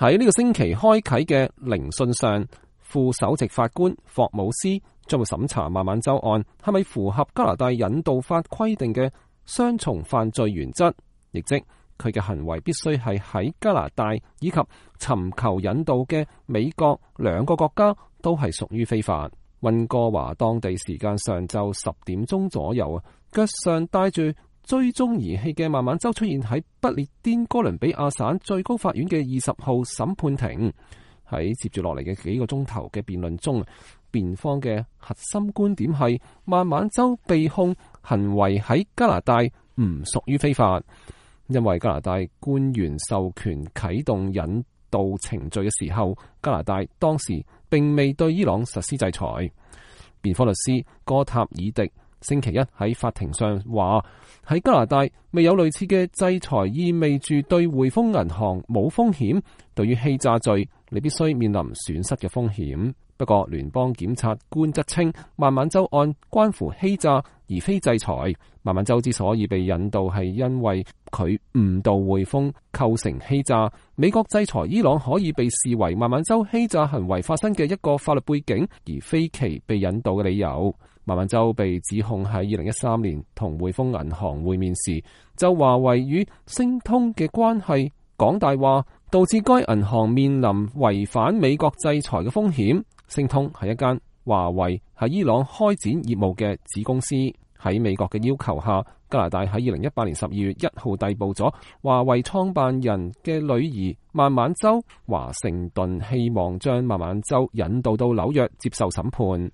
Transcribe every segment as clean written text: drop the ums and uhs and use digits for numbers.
喺呢個星期開啟嘅聆訊上，副首席法官霍姆斯將會審查孟晚舟案係咪符合加拿大引渡法規定嘅雙重犯罪原則，亦即佢嘅行為必須係喺加拿大以及尋求引渡嘅美國兩個國家都係屬於非法。溫哥華當地時間上晝10點鐘左右啊，腳上帶住追蹤儀器嘅孟晚舟出現喺不列顛哥倫比亞省最高法院嘅20號審判庭。喺接住落嚟嘅幾個鐘頭嘅辯論中，辯方嘅核心觀點係孟晚舟被控行為喺加拿大唔屬於非法，因為加拿大官員授權啟動引渡程序嘅時候，加拿大當時並未對伊朗實施制裁。辯方律師哥塔爾迪星期一喺法庭上話，喺加拿大未有類似嘅制裁，意味住對匯豐銀行冇風險，對於欺詐罪你必須面臨損失嘅風險。不過聯邦檢察官則稱孟晚舟案關乎欺詐而非制裁。孟晚舟之所以被引渡係因為佢誤導匯豐構成欺詐，美國制裁伊朗可以被視為孟晚舟欺詐行為發生嘅一個法律背景，而非其被引渡嘅理由。孟晚舟被指控喺2013年同匯豐銀行會面時，就華為與星通嘅關係講大話，導致該銀行面臨違反美國制裁嘅風險。星通係一間華為喺伊朗開展業務嘅子公司。喺美國嘅要求下，加拿大喺2018年12月1號逮捕咗華為創辦人嘅女兒孟晚舟。華盛頓希望將孟晚舟引渡到紐約接受審判。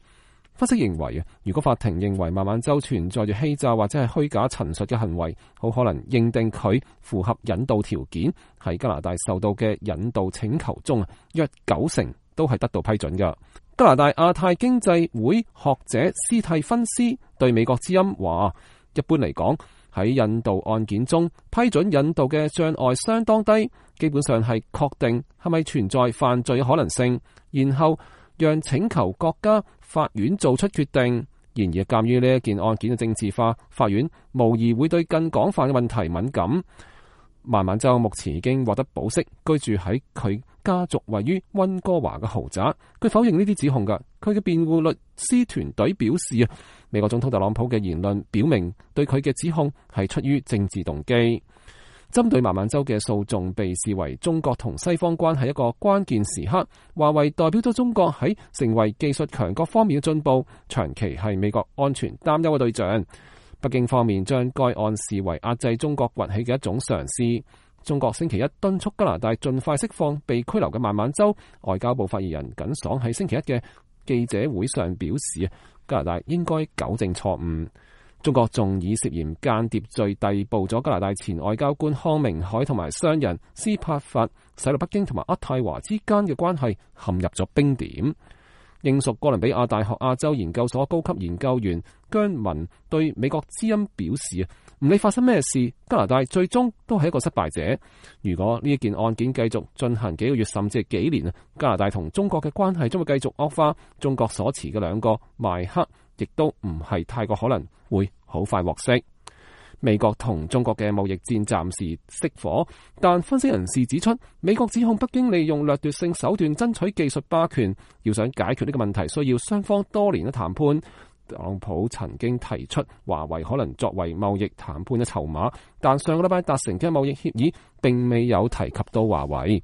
分析認為，如果法庭認為孟晚舟存在住欺詐或者係虛假陳述嘅行為，好可能認定佢符合引渡條件，喺加拿大受到嘅引渡請求中，約90%都係得到批准嘅。加拿大亞太經濟會學者斯蒂芬斯對美國之音話，一般嚟講，喺引渡案件中，批准引渡嘅障礙相當低，基本上係確定係咪存在犯罪嘅可能性，然後讓請求國家法院做出決定。然而，鑒於呢一件案件嘅政治化，法院無疑會對更廣泛嘅問題敏感。孟晚舟目前已經獲得保釋，居住喺佢家族位於溫哥華嘅豪宅。佢否認呢啲指控㗎。佢嘅辯護律師團隊表示啊，美國總統特朗普嘅言論表明對佢嘅指控係出於政治動機。針對孟晚舟嘅訴訟被視為中國同西方關係一個關鍵時刻。華為代表咗中國喺成為技術強國方面嘅進步，長期係美國安全擔憂嘅對象。北京方面將該案視為壓制中國崛起嘅一種嘗試。中國星期一敦促加拿大盡快釋放被拘留嘅孟晚舟。外交部發言人耿爽喺星期一嘅記者會上表示，加拿大應該糾正錯誤。中國仲以涉嫌間諜罪逮捕咗加拿大前外交官康明凱同埋商人斯帕法，使到北京同埋渥太華之間嘅關係陷入咗冰點。英屬哥倫比亞大學亞洲研究所高級研究員姜文對美國之音表示，唔理發生咩事，加拿大最終都係一個失敗者。如果呢一件案件繼續進行幾個月甚至係幾年，加拿大同中國嘅關係將會繼續惡化。中國所持嘅兩個邁克亦都唔係太過可能會好快獲釋。美國同中國嘅貿易戰暫時熄火，但分析人士指出，美國指控北京利用掠奪性手段爭取技術霸權，要想解決呢個問題，需要雙方多年嘅談判。特朗普曾經提出華為可能作為貿易談判嘅籌碼，但上個禮拜達成嘅貿易協議並未有提及到華為。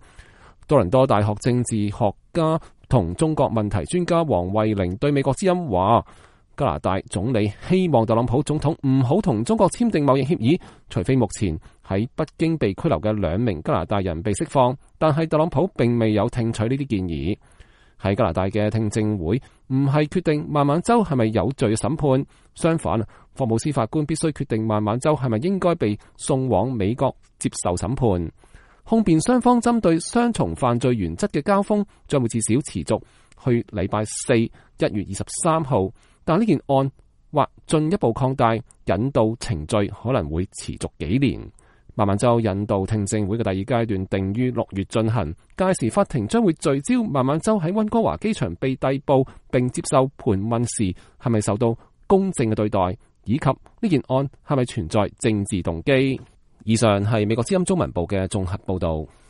多倫多大學政治學家同中國問題專家黃慧玲對美國之音話，加拿大總理希望特朗普總統唔好同中國簽訂貿易協議，除非目前喺北京被拘留嘅2名加拿大人被釋放，但係特朗普並未有聽取呢啲建議。喺加拿大嘅聽證會唔係決定孟晚舟係咪有罪嘅審判，相反，霍姆斯法官必須決定孟晚舟係咪應該被送往美國接受審判。控辯雙方針對雙重犯罪原則嘅交鋒將會至少持續去禮拜4 1月23號。但呢件案或進一步擴大，引渡程序可能會持續幾年。孟晚舟引渡聽證會嘅第二階段定於6月進行，屆時法庭將會聚焦孟晚舟喺溫哥華機場被逮捕並接受盤問時係咪受到公正嘅對待，以及呢件案係咪存在政治動機。以上係美國之音中文部嘅綜合報道。